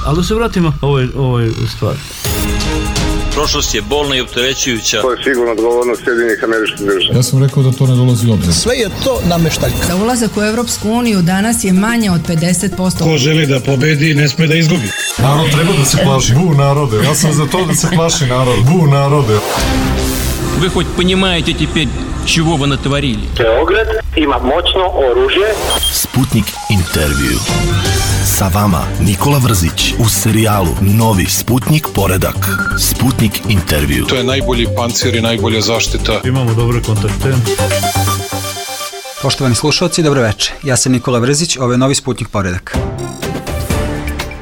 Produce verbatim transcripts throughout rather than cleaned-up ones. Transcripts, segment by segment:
Ali da se vratimo ovoj, ovoj stvari. Prošlost je bolna i opterećujuća. To je sigurno odgovornost Sjedinjenih Američkih Država. Ja sam rekao da to ne dolazi u obzir. Sve je to nameštaljka. Za ulazak u Evropsku uniju danas je manje od pedeset posto. Ko želi da pobedi, ne sme da izgubi. Narod treba da se plaši. Bu narode. Ja sam za to da se plaši narod. Bu narode. Вы хоть понимаете теперь, чего вы натворили? Beograd ima moćno oružje. Sputnik intervju. Sa vama Nikola Vrzić u serijalu Novi Sputnik poredak. Sputnik intervju. To je najbolji pancir i najbolja zaštita. Imamo dobre kontakte. Poštovani slušalci, dobro večer. Ja sam Nikola Vrzić, ovo je Novi Sputnik poredak.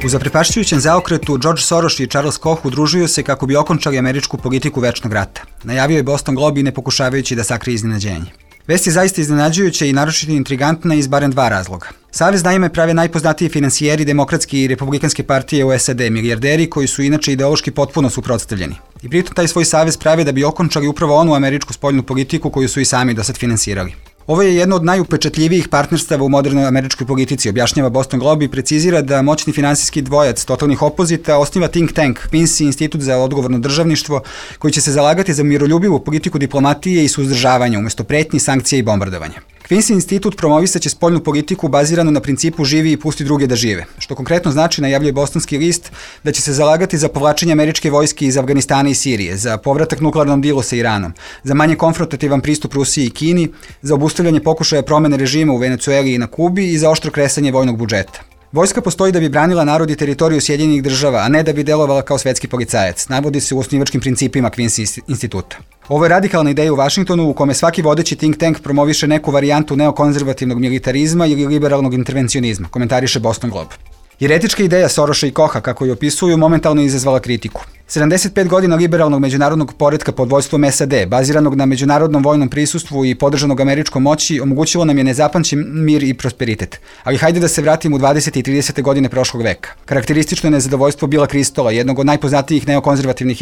U zaprepašćujućem zaokretu George Soros i Charles Koch udružuju se kako bi okončali američku politiku večnog rata. Najavio je Boston Globe i ne pokušavajući da sakrije iznenađenje. Vest je zaista iznenađujuća i naročito intrigantna iz barem dva razloga. Savez naime prave najpoznatiji finansijeri demokratske i republikanske partije u S A D, milijarderi koji su inače ideološki potpuno suprotstavljeni. I pritom taj svoj savez prave da bi okončali upravo onu američku spoljnu politiku koju su i sami do sad finansirali. Ovo je jedno od najupečatljivijih partnerstava u modernoj američkoj politici, objašnjava Boston Globe i precizira da moćni finansijski dvojac totalnih opozita osniva think tank, Quincy institut za odgovorno državništvo, koji će se zalagati za miroljubivu politiku diplomatije i suzdržavanja umjesto pretnji, sankcija i bombardovanja. Quincy institut promovisaće spoljnu politiku baziranu na principu živi i pusti druge da žive, što konkretno znači, najavljuje Bostonski list, da će se zalagati za povlačenje američke vojske iz Afganistana i Sirije, za povratak nuklearnom dilu sa Iranom, za manje konfrontativan pristup Rusiji i Kini, za obustavljanje pokušaja promene režima u Venecueli i na Kubi i za oštro kresanje vojnog budžeta. Vojska postoji da bi branila narod i teritoriju Sjedinjenih država, a ne da bi delovala kao svetski policajac, navodi se u osnivačkim principima Quincy instituta. Ovo je radikalna ideja u Vašingtonu u kome svaki vodeći think tank promoviše neku varijantu neokonzervativnog militarizma ili liberalnog intervencionizma, komentariše Boston Globe. Jer etička ideja Sorosa i Kocha, kako je opisuju, momentalno izazvala kritiku. sedamdeset pet godina liberalnog međunarodnog poretka pod vojstvom S A D, baziranog na međunarodnom vojnom prisustvu i podržanog američkom moći, omogućilo nam je nezapamćen mir i prosperitet. Ali hajde da se vratimo u dvadesete i tridesete godine prošlog veka. Karakteristično je nezadovoljstvo Billa Kristola, jednog od najpoznatijih neokonzervativnih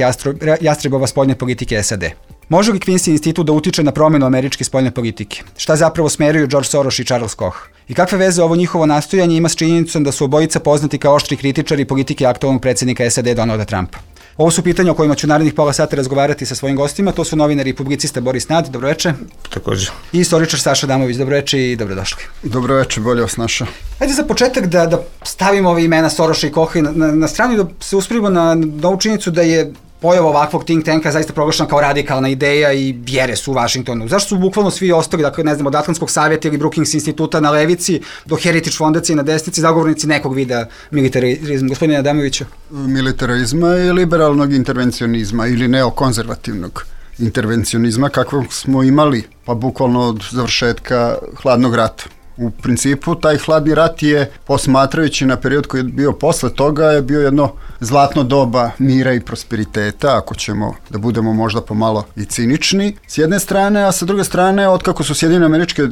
jastrebova spoljne politike S A D. Može li Quincy institut da utiče na promjenu američke spoljne politike? Šta zapravo smeruju George Soros i Charles Koch? I kakve veze ovo njihovo nastojanje ima s činjenicom da su obojica poznati kao oštri kritičari politike aktualnog predsjednika S A D Donalda Trumpa? Ovo su pitanja o kojima ću narednih pola sata razgovarati sa svojim gostima. To su novinar i publicista Boris Nad, dobroveče. Također. I istoričar Saša Damović, dobroveče i dobrodošli. Dobroveče, bolje vas našao. Hajde za početak da, da stavimo ove imena Sorosa i Kocha na, na, na stranu i da se uspravimo na, na ovu činjenicu da je pojava ovakvog think tanka zaista proglašena kao radikalna ideja i vjere su u Vašingtonu. Zašto su bukvalno svi ostali, dakle, ne znam, od Atlantskog savjeta ili Brookings instituta na levici do Heritage fondacije na desnici, zagovornici nekog vida militarizma? Gospodine Adamoviću? Militarizma i liberalnog intervencionizma ili neokonzervativnog intervencionizma kakvog smo imali, pa bukvalno od završetka hladnog rata. U principu, taj hladni rat je, posmatrajući na period koji je bio posle toga, je bio jedno zlatno doba mira i prosperiteta, ako ćemo da budemo možda pomalo i cinični, s jedne strane, a sa druge strane, otkako su Sjedinjene Američke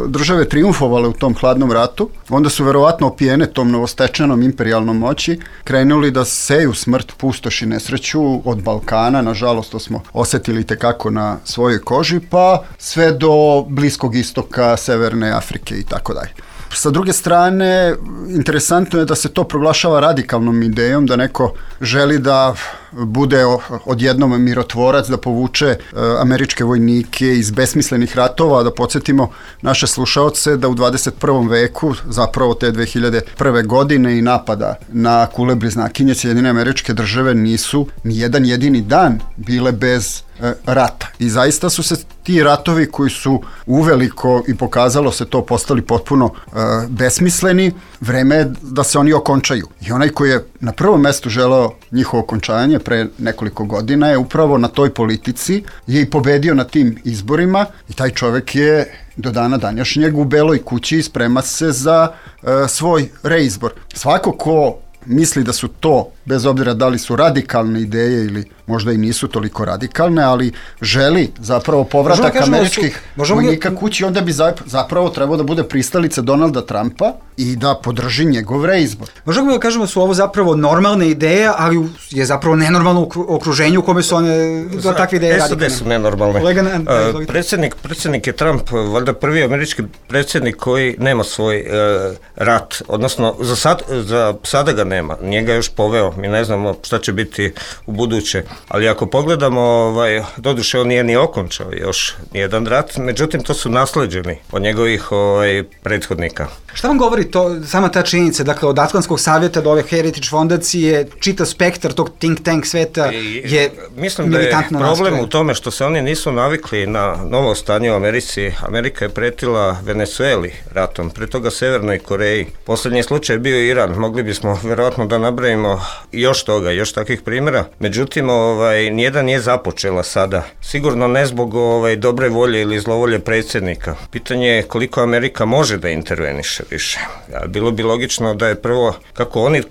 Države triumfovale u tom hladnom ratu, onda su verovatno opijene tom novostečenom imperijalnom moći, krenuli da seju smrt, pustoš i nesreću od Balkana, nažalost to smo osetili tekako na svojoj koži, pa sve do Bliskog istoka, Severne Afrike i tako dalje. Sa druge strane, interesantno je da se to proglašava radikalnom idejom, da neko želi da bude odjednom mirotvorac, da povuče američke vojnike iz besmislenih ratova, da podsjetimo naše slušaoce da u dvadeset prvom veku, zapravo te dve hiljade prve godine i napada na kule bliznakinje, Sjedinjene Američke Države nisu ni jedan jedini dan bile bez rata. I zaista su se ti ratovi koji su uveliko, i pokazalo se to, postali potpuno uh, besmisleni, vreme je da se oni okončaju. I onaj koji je na prvom mestu želeo njihovo okončanje pre nekoliko godina je upravo na toj politici je i pobedio na tim izborima i taj čovek je do dana današnjeg u Beloj kući i sprema se za uh, svoj reizbor. Svako ko misli da su to bez obzira da li su radikalne ideje ili možda i nisu toliko radikalne, ali želi zapravo povratak američkih vojnika kući, onda bi zapravo trebao da bude pristalica Donalda Trumpa i da podrži njegov reizbor. Možemo da kažemo da su ovo zapravo normalne ideje, ali je zapravo nenormalno okruženje u kome su one do takve ideje radikalne. S A D su nenormalne. Uh, predsjednik, predsjednik je Trump, valjda prvi američki predsjednik koji nema svoj uh, rat, odnosno za, sad, za sada ga nema, nije ga još poveo, mi ne znamo šta će biti u buduće, ali ako pogledamo, ovaj, doduše on nije ni okončao još nijedan rat, međutim to su nasleđeni od njegovih ovaj, prethodnika. Šta vam govori to, sama ta činjenica, dakle od Atlantskog savjeta do ove Heritage fondacije, čitav spektar tog think tank sveta je mislim da je problem nastojen. U tome što se oni nisu navikli na novo stanje u Americi. Amerika je pretila Venezueli ratom, pre toga Severnoj Koreji. Posljednji slučaj je bio Iran, mogli bismo verovatno da nabrajimo još toga, još takvih primjera. Međutim, ovaj, nijedan nije započela sada. Sigurno ne zbog ovaj, dobre volje ili zlovolje predsjednika. Pitanje je koliko Amerika može da interveniše više. Bilo bi logično da je prvo, kako oni uh,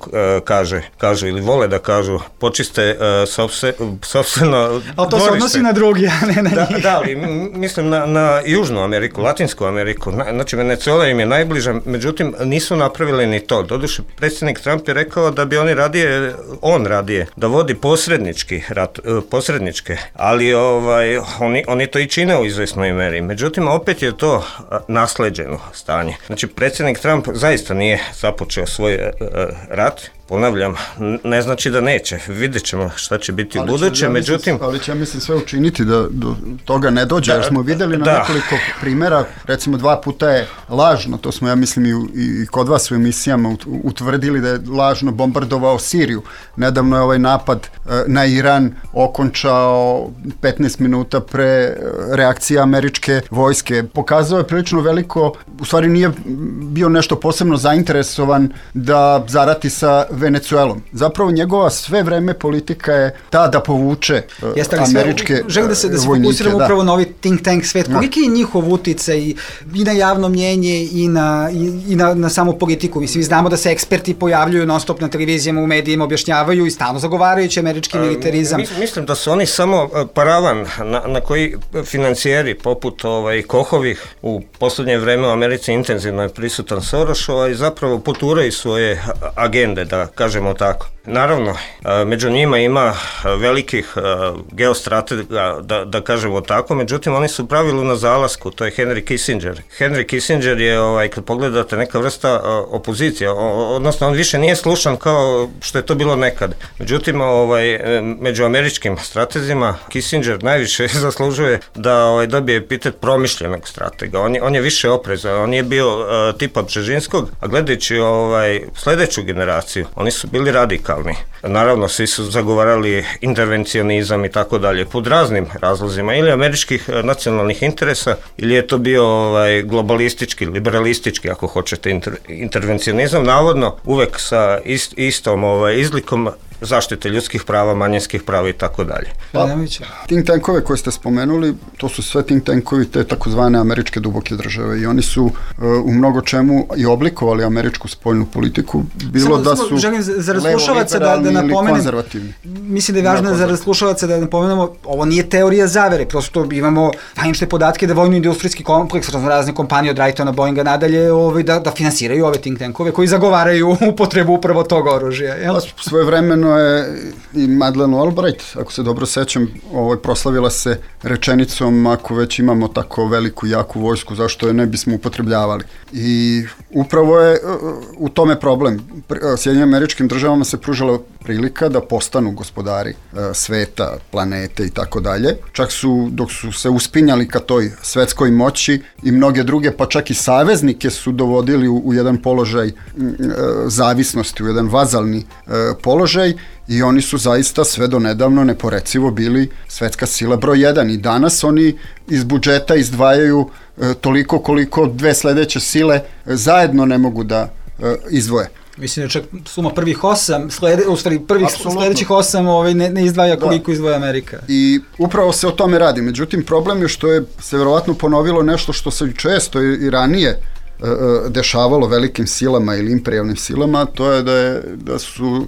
kaže, kažu ili vole da kažu, počiste uh, sopse, sopstveno... Ali to se odnosi na drugi, a ne na njih. Da, da, ali mislim na, na Južnu Ameriku, Latinsku Ameriku. Na, znači, Venezuela im je najbliža, međutim, nisu napravili ni to. Doduše, predsjednik Trump je rekao da bi oni radije, on radije, da vodi posrednički rat, uh, posredničke, ali ovaj, oni, oni to i čine u izvesnoj meri. Međutim, opet je to uh, nasleđeno stanje. Znači, predsjednik Trump zaista nije započeo svoj uh, rat, ponavljam, ne znači da neće, vidjet ćemo šta će biti u buduće, ja međutim... Mislim, ali će ja mislim sve učiniti da do toga ne dođe, da, jer smo vidjeli na da. nekoliko primjera, recimo dva puta je lažno, to smo ja mislim i, i kod vas u emisijama utvrdili da je lažno bombardovao Siriju. Nedavno je ovaj napad na Iran okončao petnaest minuta pre reakcije američke vojske. Pokazao je prilično veliko, u stvari nije bio nešto posebno zainteresovan da zarati sa Venezuelom. Zapravo njegova sve vreme politika je ta da povuče uh, Jeste, američke vojnike. Želim da se, da se fokusiramo upravo na ovaj think tank svet. Koliki je njihov uticaj i, i na javno mnjenje i na, i, i na, na samu politiku? Mislim, znamo da se eksperti pojavljuju non stop na televizijama, u medijima, objašnjavaju i stalno zagovarajući američki militarizam. Uh, mislim da su oni samo paravan na, na koji financijeri poput ovaj, Kohovih u posljednje vreme u Americi intenzivno je prisutan Soros i zapravo poturaju svoje agende, da kažemo tako. Naravno, među njima ima velikih geostratega, da, da kažemo tako, međutim oni su u pravilu na zalasku, to je Henry Kissinger. Henry Kissinger je, ovaj, kad pogledate, neka vrsta opozicija, odnosno on više nije slušan kao što je to bilo nekad. Međutim, ovaj, među američkim stratezima Kissinger najviše zaslužuje da ovaj, dobije epitet promišljenog stratega. On je, on je više oprezan, on je bio uh, tipa Bžežinskog, a gledajući ovaj, sljedeću generaciju, oni su bili radikalni. Naravno, svi su zagovarali intervencionizam i tako dalje, pod raznim razlozima, ili američkih nacionalnih interesa, ili je to bio ovaj, globalistički, liberalistički, ako hoćete, inter, intervencionizam, navodno uvek sa ist, istom ovaj, izlikom zaštite ljudskih prava, manjinskih prava i tako dalje. Pa, think tankove koje ste spomenuli, to su sve think tankovi te takozvane američke duboke države i oni su uh, u mnogo čemu i oblikovali američku spoljnu politiku, bilo samo, da su želim za razslušavaca da, da napomenem, konzervativni. Mislim da je važno za razslušavaca da napomenemo, ovo nije teorija zavere, prosto imamo zvanične podatke da vojno-industrijski kompleks, razne kompanije od Wrightona, Boeinga nadalje, ovaj, da, da finansiraju ove think tankove koji zagovaraju upotrebu upravo tog oružja. Jel? Svoje vremeno je i Madeleine Albright, ako se dobro sećam, ovaj, proslavila se rečenicom, ako već imamo tako veliku i jaku vojsku, zašto je ne bismo upotrebljavali. I upravo je u tome problem. Sjedinjenim Američkim državama se pružala prilika da postanu gospodari sveta, planete i tako dalje. Čak su, dok su se uspinjali ka toj svetskoj moći i mnoge druge, pa čak i saveznike su dovodili u, u jedan položaj zavisnosti, u jedan vazalni položaj i oni su zaista sve do nedavno neporecivo bili svetska sila broj jedan i danas oni iz budžeta izdvajaju e, toliko koliko dve sledeće sile zajedno ne mogu da e, izdvoje. Mislim da čak suma prvih osam, slede, u stvari prvih Absolutno. sledećih osam ovaj, ne, ne izdvaja koliko da. izdvaja Amerika. I upravo se o tome radi. Međutim, problem je što je se verovatno ponovilo nešto što se često i ranije dešavalo velikim silama ili imperijalnim silama, to je da, je, da su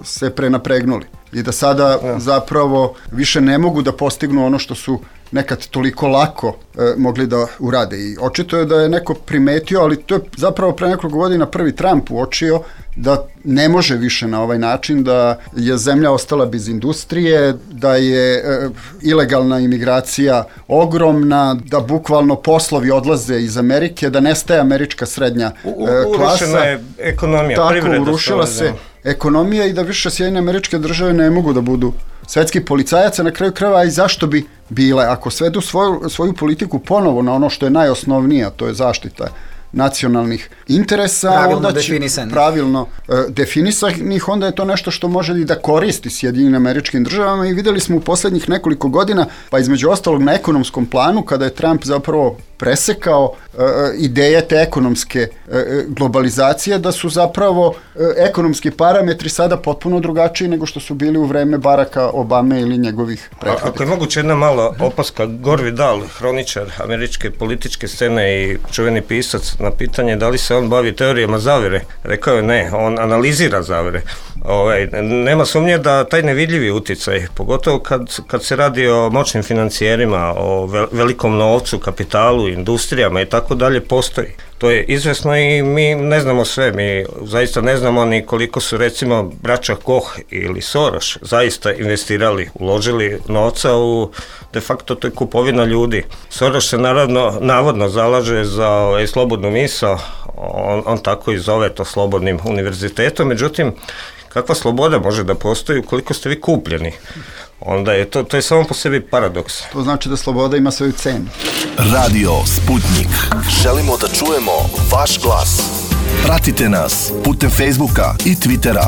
se prenapregnuli i da sada ja. zapravo više ne mogu da postignu ono što su nekad toliko lako e, mogli da urade. I očito je da je neko primetio, ali to je zapravo pre nekoliko godina prvi Trump uočio da ne može više na ovaj način, da je zemlja ostala bez industrije, da je e, ilegalna imigracija ogromna, da bukvalno poslovi odlaze iz Amerike, da nestaje američka srednja e, klasa. Urušena je ekonomija, tako, privreda. Urušila se ekonomija i da više Sjedinjene Američke Države ne mogu da budu svetski policajaca na kraju krajeva, i zašto bi bile, ako svedu svoju, svoju politiku ponovo na ono što je najosnovnije, a to je zaštita nacionalnih interesa, pravilno onda će, definisanih. pravilno e, definisanih, onda je to nešto što može i da koristi Sjedinjenim Američkim Državama, i videli smo u poslednjih nekoliko godina, pa između ostalog na ekonomskom planu, kada je Trump zapravo presekao e, ideje te ekonomske e, globalizacije, da su zapravo e, ekonomski parametri sada potpuno drugačiji nego što su bili u vreme Baracka Obame ili njegovih prethodnika. Ako je moguće jedna mala opaska, Gore Vidal, hroničar američke političke scene i čuveni pisac, na pitanje da li se on bavi teorijama zavere, rekao je ne, on analizira zavere. Ovaj, nema sumnje da taj nevidljivi uticaj, pogotovo kad, kad se radi o moćnim financijerima, o velikom novcu, kapitalu, industrijama i tako dalje, postoji. To je izvesno i mi ne znamo sve, mi zaista ne znamo ni koliko su recimo braća Koch ili Soros zaista investirali, uložili novca u de facto to je kupovina ljudi. Soros se naravno, navodno zalaže za ovaj, slobodnu misao, on, on tako i zove to slobodnim univerzitetom, međutim, kakva sloboda može da postoji ukoliko ste vi kupljeni? Onda je to, to je samo po sebi paradoks. To znači da sloboda ima svoju cenu. Radio Sputnik. Želimo da čujemo vaš glas. Pratite nas putem Facebooka i Twittera.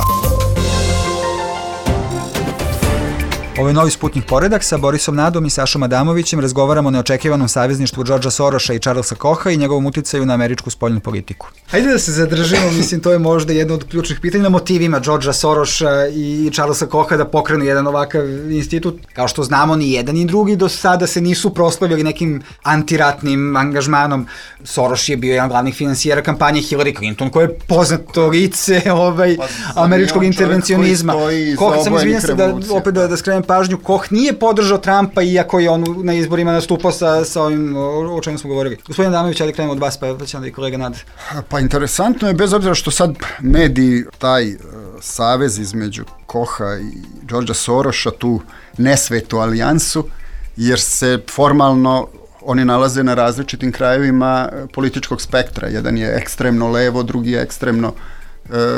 Ovo je novi Sputnik poredak. Sa Borisom Nadom i Sašom Adamovićem razgovaramo o neočekivanom savezništvu Georgea Sorosa i Charlesa Kocha i njegovom uticaju na američku spoljnu politiku. Hajde da se zadržimo, mislim, to je možda jedno od ključnih pitanja, na motivima Georgea Sorosa i Charlesa Kocha da pokrenu jedan ovakav institut. Kao što znamo, ni jedan ni drugi do sada se nisu proslavljali nekim antiratnim angažmanom. Soros je bio jedan glavnih finansijera kampanje Hillary Clinton, koja je poznato lice ovaj, pa, američkog intervencionizma. Koch, sam izvinjam se da opet da, da skrenem pažnju, Koch nije podržao Trumpa, iako je on na izborima nastupao sa, sa ovim o, o čemu smo govorili. Gospodin Adamović, ajde krenemo od vas, pa će onda i kolega Nad. Pa interesantno je, bez obzira što sad mediji taj uh, savez između Kocha i Georgea Sorosa, tu nesvetu alijansu, jer se formalno oni nalaze na različitim krajevima političkog spektra. Jedan je ekstremno levo, drugi je ekstremno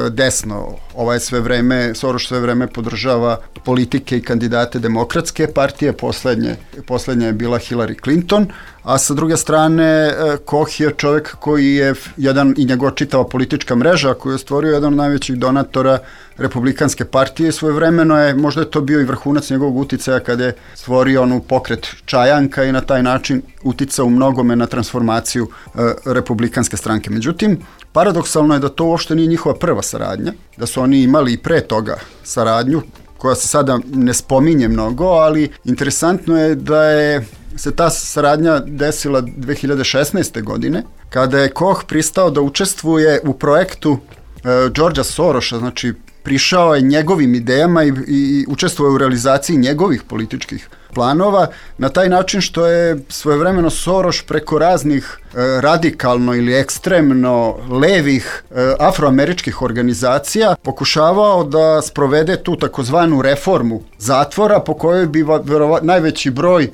desno. Ovaj sve vreme, Soros sve vreme podržava politike i kandidate demokratske partije, poslednje, poslednja je bila Hillary Clinton, a sa druge strane Koch je čovjek koji je jedan, i njegova čitava politička mreža koju je stvorio, jedan od najvećih donatora Republikanske partije. Svojevremeno je, možda je to bio i vrhunac njegovog uticaja kada je stvorio onu pokret Čajanka i na taj način uticao u mnogome na transformaciju e, Republikanske stranke. Međutim, paradoksalno je da to uopšte nije njihova prva saradnja, da su oni imali i pre toga saradnju, koja se sada ne spominje mnogo, ali interesantno je da je se ta saradnja desila dve hiljade šesnaeste. godine, kada je Koch pristao da učestvuje u projektu e, Georgea Sorosa, znači prišao je njegovim idejama i, i učestvuje u realizaciji njegovih političkih planova, na taj način što je svojevremeno Soros preko raznih e, radikalno ili ekstremno levih e, afroameričkih organizacija pokušavao da sprovede tu takozvanu reformu zatvora, po kojoj bi verova, najveći broj e,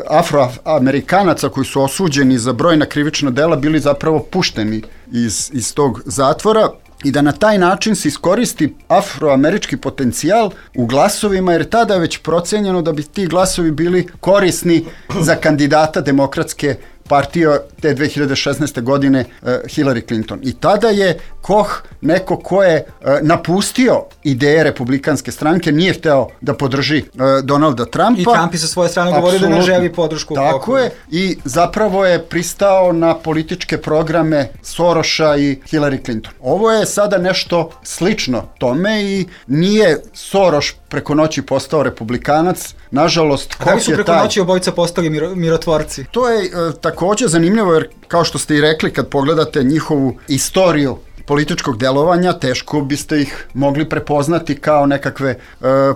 afroamerikanaca koji su osuđeni za brojna krivična dela bili zapravo pušteni iz, iz tog zatvora, i da na taj način se iskoristi afroamerički potencijal u glasovima, jer tada je već procenjeno da bi ti glasovi bili korisni za kandidata demokratske partije te dve hiljade šesnaeste. godine uh, Hillary Clinton. I tada je Koch neko ko je uh, napustio ideje Republikanske stranke, nije hteo da podrži uh, Donalda Trumpa. I Trump je sa svoje strane govorio da ne želi podršku. Tako Kochu. Je, i zapravo je pristao na političke programe Sorosa i Hillary Clinton. Ovo je sada nešto slično tome i nije Soros preko noći postao republikanac, nažalost, Koch je taj... Da li su preko noći obojica postali miro, mirotvorci? To je uh, takođe zanimljiva zanimljivo jer, kao što ste i rekli, kad pogledate njihovu istoriju političkog delovanja, teško biste ih mogli prepoznati kao nekakve e,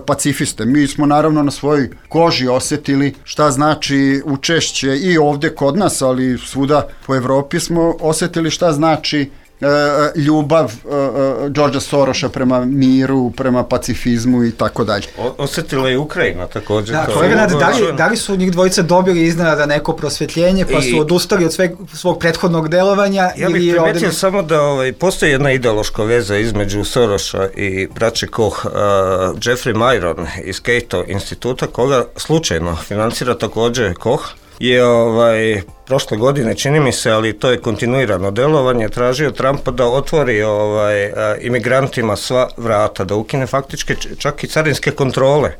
pacifiste. Mi smo naravno na svojoj koži osjetili šta znači učešće i ovde kod nas, ali svuda po Evropi smo osjetili šta znači e, ljubav e, Georgea Soroša prema miru, prema pacifizmu i tako dalje. Osjetila je Ukrajina također. Da, kolega Nade, da li, da li su njih dvojice dobili iznenada neko prosvjetljenje pa su odustali od sveg, svog prethodnog delovanja? Ja bih ili primetio ovde... samo da ovaj, postoji jedna ideološka veza između Soroša i braće Koch. Uh, Jeffrey Myron iz Cato instituta, koga slučajno financira također Koch, je ovaj, prošle godine, čini mi se, ali to je kontinuirano delovanje, tražio Trumpa da otvori ovaj, imigrantima sva vrata, da ukine faktički čak i carinske kontrole.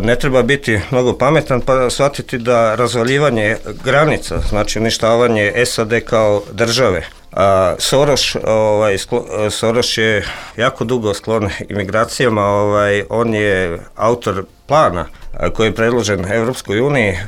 Ne treba biti mnogo pametan pa shvatiti da razvaljivanje granica, znači uništavanje S A D kao države. A Soros, ovaj, sklo, Soros je jako dugo sklon imigracijama, ovaj, on je autor plana koji je predložen Evropskoj uniji,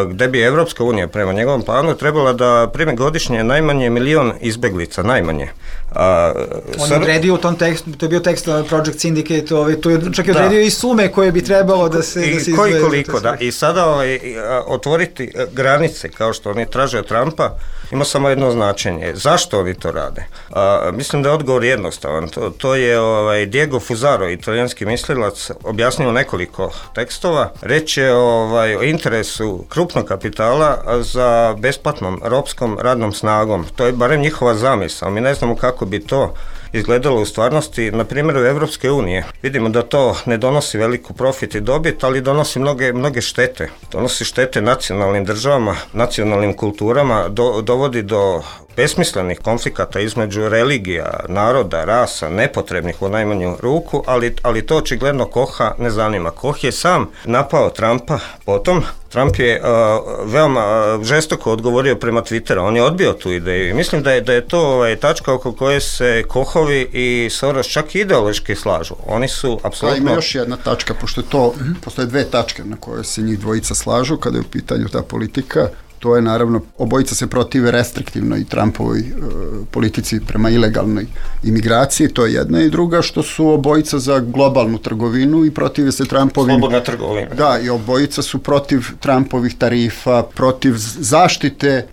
gde bi Evropska unija prema njegovom planu trebala da prime godišnje najmanje milion izbeglica, najmanje. A, on je odredio u tom tekstu, to je bio tekst Project Syndicate, ovaj, to je čak i odredio i sume koje bi trebalo da se, da se koji koliko, da. I sada ovaj, otvoriti granice, kao što oni traže od Trumpa, ima samo jedno značenje. Zašto oni to rade? A, mislim da je odgovor jednostavan. To, to je ovaj, Diego Fusaro, italijanski mislilac, objasnio nekoliko tekstova. Reč je ovaj, o interesu krupnog kapitala za besplatnom ropskom radnom snagom. To je barem njihova zamisao. Mi ne znamo kako bi to izgledalo u stvarnosti. Na primjeru Evropske unije vidimo da to ne donosi veliku profit i dobit, ali donosi mnoge, mnoge štete. Donosi štete nacionalnim državama, nacionalnim kulturama, do, dovodi do besmislenih konflikata između religija, naroda, rasa, nepotrebnih u najmanju ruku, ali, ali to očigledno Kocha ne zanima. Koch je sam napao Trumpa potom. Trump je uh, veoma uh, žestoko odgovorio prema Twitteru, on je odbio tu ideju i mislim da je, da je to ovaj, tačka oko koje se Kochovi i Soros čak ideološki slažu. Oni su apsolutno... Ima još jedna tačka, pošto je to, mm-hmm. postoje dve tačke na koje se njih dvojica slažu kada je u pitanju ta politika. To je naravno, obojica se protive restriktivnoj Trumpovoj e, politici prema ilegalnoj imigraciji, to je jedna, i druga što su obojica za globalnu trgovinu i protive se Trumpovim... Slobodna trgovina. Da, i obojica su protiv Trumpovih tarifa, protiv zaštite e,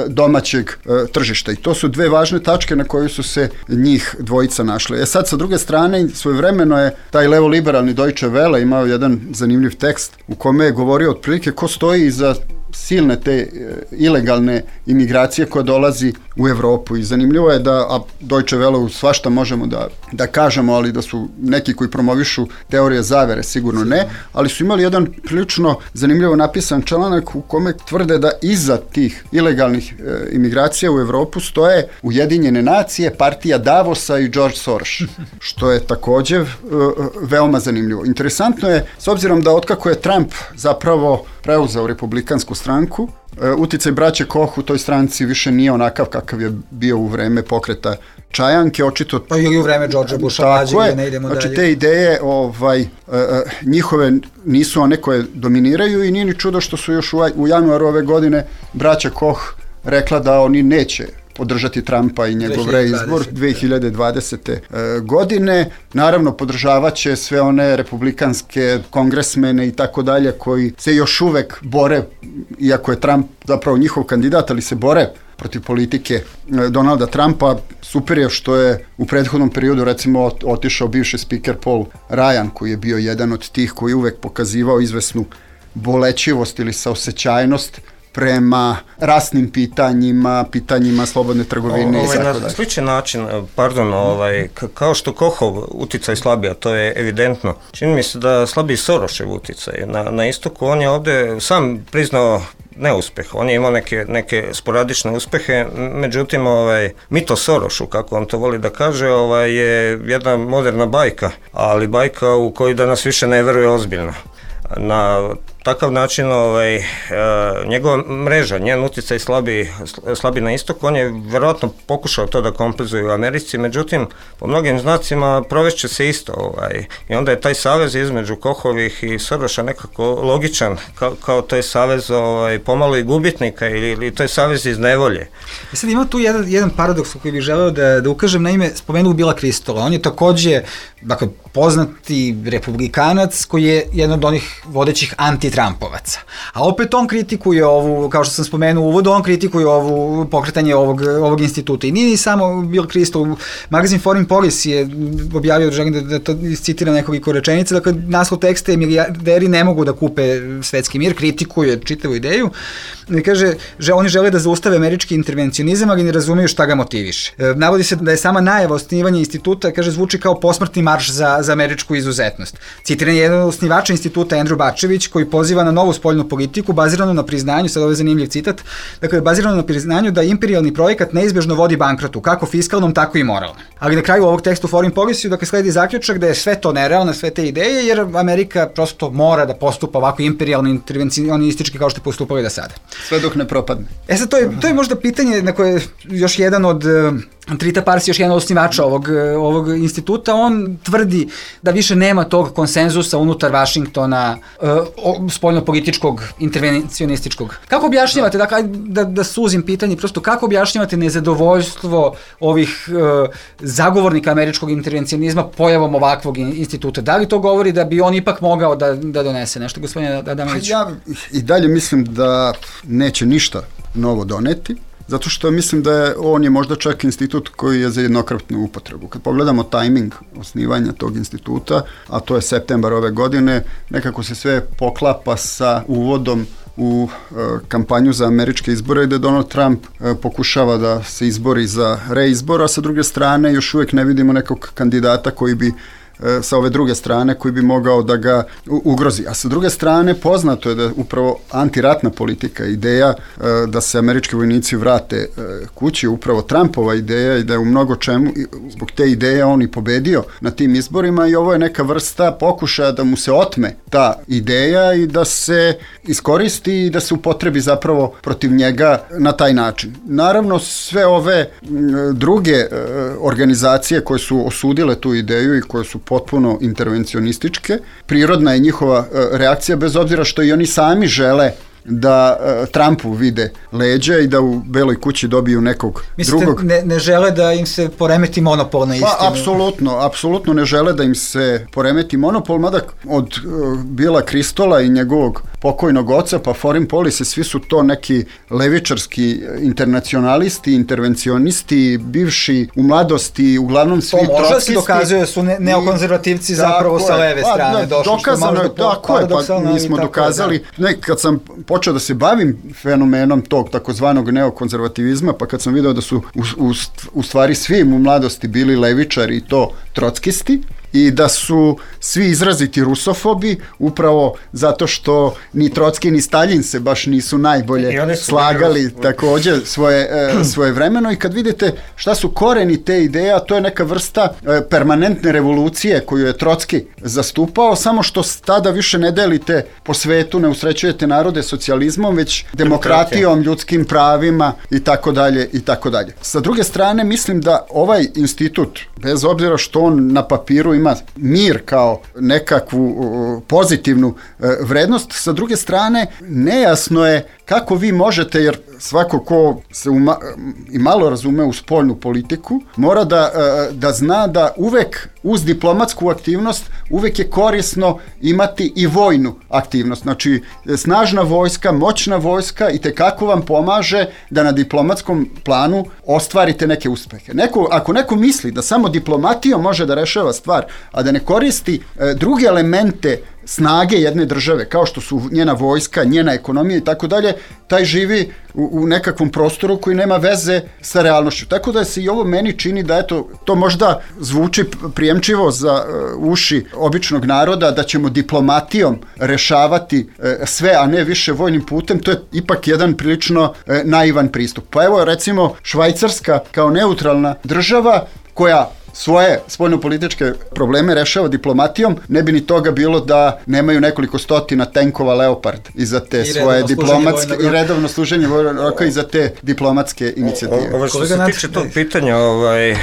domaćeg e, tržišta i to su dve važne tačke na koje su se njih dvojica našle. E sad, sa druge strane, svojevremeno je taj levo-liberalni Deutsche Welle imao jedan zanimljiv tekst u kome je govorio otprilike ko stoji iza silne te e, ilegalne imigracije koja dolazi u Evropu i zanimljivo je da, a Deutsche Welle svašta možemo da, da kažemo, ali da su neki koji promovišu teorije zavere sigurno ne, ali su imali jedan prilično zanimljivo napisan članak u kome tvrde da iza tih ilegalnih e, imigracija u Evropu stoje Ujedinjene nacije, partija Davosa i George Soros, što je također e, veoma zanimljivo. Interesantno je, s obzirom da otkako je Trump zapravo preuzeo republikansku stranku, e, uticaj braće Koch u toj stranci više nije onakav kakav je bio u vreme pokreta Čajanke, očito... Pa ili u vreme Georgea Busha, tako je, ne idemo znači dalje. Te ideje ovaj, e, njihove nisu one koje dominiraju i nije ni čudo što su još u, u januaru ove godine braća Koch rekla da oni neće podržati Trumpa i njegov reizbor dve hiljade dvadesete. godine. Naravno, podržavaće sve one republikanske kongresmene i tako dalje koji se još uvek bore, iako je Trump zapravo njihov kandidat, ali se bore protiv politike Donalda Trumpa. Super je što je u prethodnom periodu recimo otišao bivši spiker Paul Ryan, koji je bio jedan od tih koji uvek pokazivao izvesnu bolećivost ili saosećajnost prema rasnim pitanjima, pitanjima slobodne trgovine. Ovaj, i tako na sličan način, pardon, ovaj, kao što Kochov uticaj slabija, to je evidentno. Čini mi se da slabiji Sorošev uticaj. Na, na istoku on je ovde sam priznao neuspeh. On je imao neke, neke sporadične uspehe, međutim, ovaj, mito Sorošu, kako on to voli da kaže, ovaj, je jedna moderna bajka, ali bajka u kojoj danas više ne veruje ozbiljno. Na takav način ovaj, njegova mreža, njen utjecaj slabi, slabi na istok, on je verovatno pokušao to da kompenzuje u Americi, međutim, po mnogim znacima provešće se isto. Ovaj, I onda je taj savez između Kohovih i Soroša nekako logičan, kao, kao to je savez ovaj, pomalo i gubitnika ili, ili to je savez iz nevolje. I sad ima tu jedan, jedan paradoks koji bih želeo da, da ukažem, na ime spomenuo Billa Kristola. On je takođe, dakle, poznati republikanac koji je jedan od onih vodećih anti-Trumpovaca. A opet on kritikuje ovu, kao što sam spomenuo u uvodu, on kritikuje ovu pokretanje ovog, ovog instituta. I nije ni samo Bill Kristol, magazin Foreign Policy je objavio, želim da, da to citiram nekoliko rečenica, dakle, naslov teksta je milijarderi ne mogu da kupe svetski mir, kritikuje čitavu ideju. I kaže, že oni žele da zaustave američki intervencionizam, ali ne razumeju šta ga motiviše. E, navodi se da je sama najava osnivanja instituta, kaže, zvuči kao posmrtni marš za, za američku izuzetnost. Citiran je jedan od osnivača instituta Andrew Bačević, koji poziva na novu spoljnu politiku baziranu na priznanju, sad ovo je zanimljiv citat, dakle, bazirano na priznanju da imperijalni projekat neizbežno vodi bankrotu, kako fiskalnom, tako i moralnom. Ali na kraju ovog tekstu Foreign Policy, dakle, sledi zaključak da je sve to nerealno, sve te ideje, jer Amerika prosto mora da postupa ovako imperijalno intervencionistički kao što je postupali do sada. Sve dok ne propadne. E sad, to je, to je možda pitanje na koje još jedan od Trita Parsi, još jedan od osnivača ovog, ovog instituta, on tvrdi da više nema tog konsenzusa unutar Vašingtona, uh, spoljno-političkog, intervencionističkog. Kako objašnjavate, dakle, da, da suzim pitanje, prosto kako objašnjavate nezadovoljstvo ovih uh, zagovornika američkog intervencionizma pojavom ovakvog instituta? Da li to govori da bi on ipak mogao da, da donese nešto, gospodine Adamanić? Ja i dalje mislim da neće ništa novo doneti, zato što mislim da je, on je možda čak institut koji je za jednokratnu upotrebu. Kad pogledamo tajming osnivanja tog instituta, a to je septembar ove godine, nekako se sve poklapa sa uvodom u e, kampanju za američke izbore gde Donald Trump e, pokušava da se izbori za reizbor, a sa druge strane još uvijek ne vidimo nekog kandidata koji bi sa ove druge strane koji bi mogao da ga ugrozi. A sa druge strane poznato je da upravo antiratna politika, ideja da se američki vojnici vrate kući, upravo Trumpova ideja i da je u mnogo čemu zbog te ideje on i pobedio na tim izborima i ovo je neka vrsta pokušaja da mu se otme ta ideja i da se iskoristi i da se upotrebi zapravo protiv njega na taj način. Naravno sve ove druge organizacije koje su osudile tu ideju i koje su potpuno intervencionističke, prirodna je njihova reakcija bez obzira što i oni sami žele da uh, Trumpu vide leđa i da u Beloj kući dobiju nekog Mislite, drugog. Mislite, ne, ne žele da im se poremeti monopol na istinu? Pa, apsolutno, apsolutno ne žele da im se poremeti monopol, mada od uh, Billa Kristola i njegovog pokojnog oca, pa Foreign Policy, svi su to neki levičarski internacionalisti, intervencionisti, bivši u mladosti, uglavnom svi trotskisti. To može se dokazuje da su ne, neokonzervativci i, zapravo sa leve pa, strane da, došli. Dokazano je, tako je, pa mi smo dokazali, da. Ne, kad sam počeo da se bavim fenomenom tog takozvanog neokonzervativizma, pa kad sam video da su u, u, u stvari svi u mladosti bili levičari i to trotskisti, i da su svi izraziti rusofobi upravo zato što ni Trotski ni Staljin se baš nisu najbolje slagali takođe svoje, e, svoje vremeno i kad vidite šta su koreni te ideje, a to je neka vrsta e, permanentne revolucije koju je Trotski zastupao, samo što tada više ne delite po svetu, ne usrećujete narode socijalizmom, već demokratijom, ljudskim pravima i tako dalje i tako dalje. Sa druge strane, mislim da ovaj institut, bez obzira što on na papiru ima mir kao nekakvu pozitivnu vrednost, sa druge strane nejasno je kako vi možete, jer svako ko se uma, i malo razume u spoljnu politiku, mora da, da zna da uvek uz diplomatsku aktivnost uvek je korisno imati i vojnu aktivnost. Znači, snažna vojska, moćna vojska i tekako vam pomaže da na diplomatskom planu ostvarite neke uspehe. Neko, ako neko misli da samo diplomatijom može da rešava stvar, a da ne koristi e, druge elemente snage jedne države, kao što su njena vojska, njena ekonomija i tako dalje, taj živi u, u nekakvom prostoru koji nema veze sa realnošću. Tako da se i ovo meni čini da eto, to možda zvuči prijemčivo za uh, uši običnog naroda, da ćemo diplomatijom rešavati uh, sve, a ne više vojnim putem, to je ipak jedan prilično uh, naivan pristup. Pa evo recimo Švajcarska kao neutralna država koja svoje spoljnopolitičke probleme rešava diplomatijom, ne bi ni toga bilo da nemaju nekoliko stotina tenkova Leopard i za te I svoje diplomatske i redovno služenje vojnog roka i za te diplomatske inicijative. Ovo što se tiče tog pitanja, ovaj,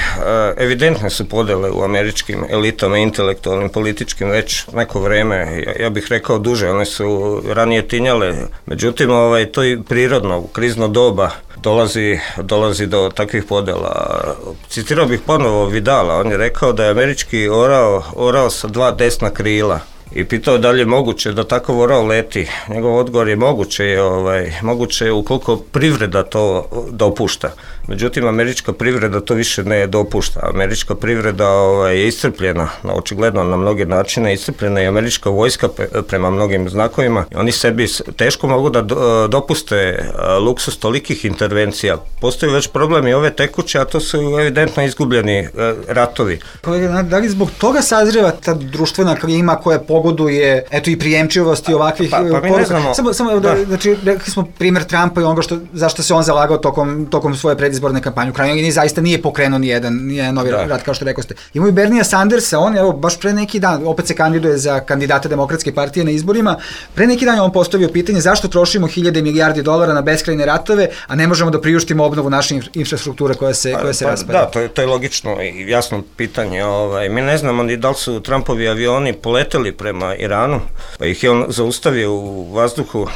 evidentne su podele u američkim elitama, intelektualnim, političkim već neko vreme, ja, ja bih rekao duže, one su ranije tinjale, međutim ovaj, to je prirodno, u krizno doba dolazi, dolazi do takvih podela. Citirao bih ponovo Vidala, on je rekao da je američki orao, orao sa dva desna krila i pitao da li je moguće da takav orao leti. Njegov odgovor je moguće je, ovaj, moguće je ukoliko privreda to dopušta. Međutim, američka privreda to više ne dopušta. Američka privreda ovaj, je iscrpljena, na, očigledno na mnoge načine, iscrpljena i američka vojska prema mnogim znakovima. Oni sebi teško mogu da do, dopuste luksus tolikih intervencija. Postoji već problem i ove tekuće, a to su evidentno izgubljeni ratovi. Kolega, da li zbog toga sazreva ta društvena klima koja pogoduje, eto i prijemčivosti ovakvih pa, pa, pa mi ne znamo. Samo, samo da. Da, znači, rekli smo primjer Trumpa i onoga što, zašto se on zalagao tokom, tokom svoje predizborne kampanje. U krajnjoj liniji zaista nije pokrenuo ni jedan, ni jedan novi da. rat, kao što rekao ste. Imamo i Bernija Sandersa, on evo baš pre neki dan, opet se kandiduje za kandidata Demokratske partije na izborima, pre neki dan je on postavio pitanje zašto trošimo hiljade milijardi dolara na beskrajne ratove, a ne možemo da priuštimo obnovu naše infrastrukture koja se, koja se pa, raspada. Da, to je, to je logično i jasno pitanje. Ovaj, mi ne znamo ni da li su Trumpovi avioni poleteli prema Iranu, pa ih je on zaustavio u vazduhu. Uh,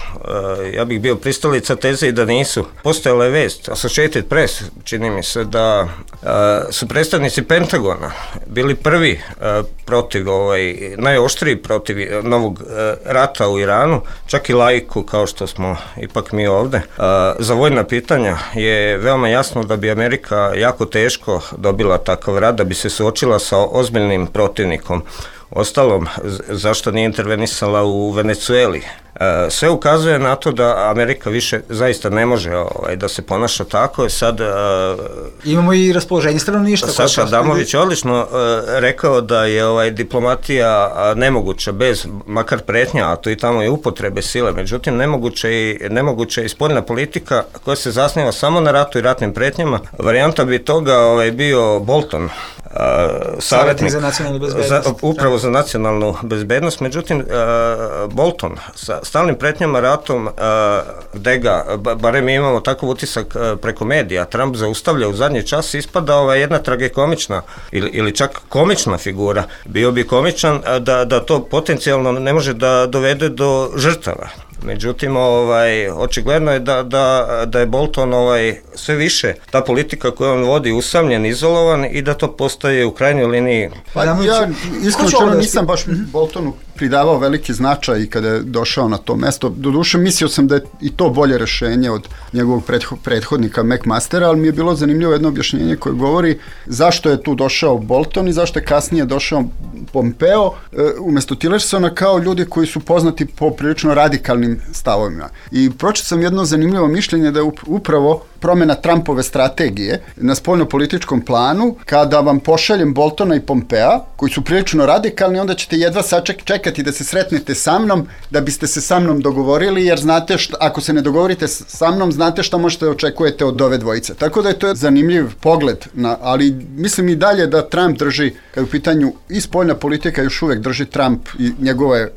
ja bih bio pristalica teze i da nisu. Postojala je vest, Associated Press, čini mi se da uh, su predstavnici Pentagona bili prvi uh, protiv, ovaj, najoštriji protiv novog uh, rata u Iranu, čak i laiku kao što smo ipak mi ovde. Uh, za vojna pitanja je veoma jasno da bi Amerika jako teško dobila takav rat, da bi se suočila sa ozbiljnim protivnikom. Ostalom, zašto nije intervenisala u Venecueli? Sve ukazuje na to da Amerika više zaista ne može ovaj, da se ponaša tako. Sad, imamo i raspoloženje stanovništva. Saša Adamović je odlično uh, rekao da je ovaj, diplomatija nemoguća bez makar pretnja, a to i tamo je upotrebe sile. Međutim, nemoguće i, nemoguće i spoljna politika koja se zasniva samo na ratu i ratnim pretnjama. Varijanta bi toga ovaj, bio Bolton, uh, savjetnik za nacionalnu bezbednost. Za, upravo za nacionalnu bezbednost. Međutim, uh, Bolton sa stalnim pretnjama ratom, gde ga, barem imamo takav utisak preko medija, Trump zaustavlja u zadnji čas, ispada ova jedna tragikomična ili, ili čak komična figura. Bio bi komičan da, da to potencijalno ne može da dovede do žrtava. Međutim, ovaj, očigledno je da, da, da je Bolton ovaj, sve više, ta politika koju on vodi, usamljen, izolovan i da to postaje u krajnjoj liniji. Pa ja isključeno nisam baš Boltonu pridavao veliki značaj i kada je došao na to mesto. Doduše, mislio sam da je i to bolje rešenje od njegovog prethodnika McMastera, ali mi je bilo zanimljivo jedno objašnjenje koje govori zašto je tu došao Bolton i zašto je kasnije došao Pompeo e, umesto Tillersona kao ljudi koji su poznati po prilično radikalnim stavovima. I pročitao sam jedno zanimljivo mišljenje da je upravo promena Trumpove strategije na spoljnopolitičkom planu, kada vam pošaljem Boltona i Pompea, koji su prilično radikalni, onda ćete jedva saček, čekati da se sretnete sa mnom, da biste se sa mnom dogovorili, jer znate šta, ako se ne dogovorite sa mnom, znate šta možete da očekujete od ove dvojice. Tako da je to zanimljiv pogled, na, ali mislim i dalje da Trump drži, kad u pitanju i spoljna politika, još uvek drži Trump i njegove, uh,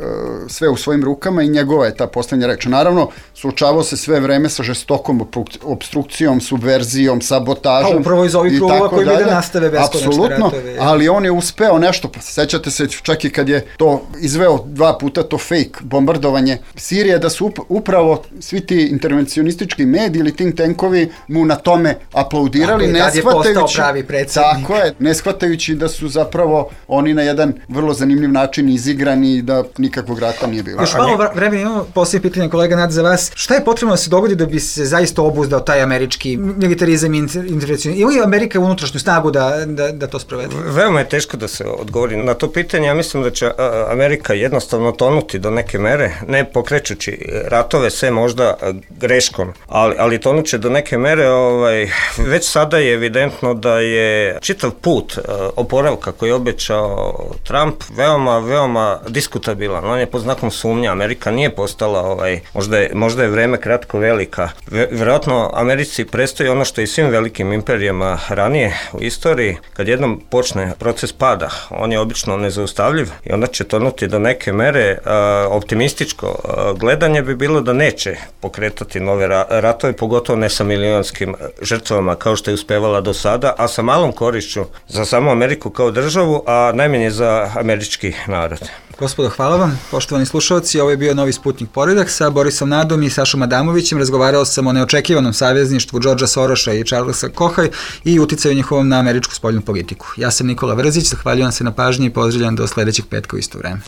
sve u svojim rukama i njegova je ta poslednja reč. Naravno, suočavao se sve vreme sa žestokom obstrukcijom, subverzijom, sabotažom. A upravo iz ovih krugova koji bi da nastave beskonačne ratove. Ali on je uspeo nešto, pa sećate se čak i kad je to izveo dva puta to fake bombardovanje Sirije, da su upravo svi ti intervencionistički mediji ili think tankovi mu na tome aplaudirali, ne shvatajući, je postao pravi predsjednik. Tako je, ne shvatajući da su zapravo oni na jedan vrlo zanimljiv način izigrani i da nikakvog rata nije bilo. Još malo vremena imamo, poslije pitanje kolega Nad za vas, šta je potrebno da se dogodi da bi se zaista obuzdao taj američki militarizam i intervencionizam? Ima li Amerika unutrašnju snagu da, da, da to sprovede? Veoma je teško da se odgovori na to pitanje. Ja mislim da će Amerika jednostavno tonuti do neke mere, ne pokrećući ratove, sve možda greškom, ali, ali tonuće do neke mere. Ovaj, već sada je evidentno da je čitav put oporavka koji je obećao Trump veoma, veoma diskutabilan. On je pod znakom sumnje. Amerika nije postala, ovaj, možda je, možda je vreme kratko velika. Vjerojatno Americi predstoji ono što i svim velikim imperijama ranije u istoriji, kad jednom počne proces pada, on je obično nezaustavljiv i onda će tonuti do neke mere. A, optimističko a, gledanje bi bilo da neće pokretati nove ra- ratove, pogotovo ne sa milionskim žrtvama kao što je uspevala do sada, a sa malom korišću za samu Ameriku kao državu, a najmanje za američki narod. Gospodo, hvala vam. Poštovani slušalci, ovo je bio Novi Sputnik Poredak. Sa Borisom Nadom i Sašom Adamovićem razgovarao sam o neočekivanom savezništvu Georgea Soroša i Charlesa Kocha i uticaju njihovom na američku spoljnu politiku. Ja sam Nikola Vrzić, zahvaljujem se na pažnji i pozdravljam do sledećeg petka u isto vreme.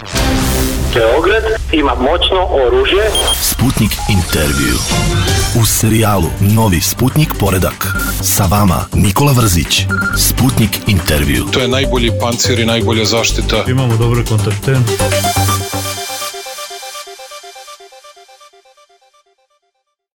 Beograd ima moćno oružje. Sputnik intervju. U serijalu Novi Sputnik Poredak. Sa vama Nikola Vrzić. Sputnik intervju. To je najbolji pancir i najbolja zaštita. Imamo dobre kontakte.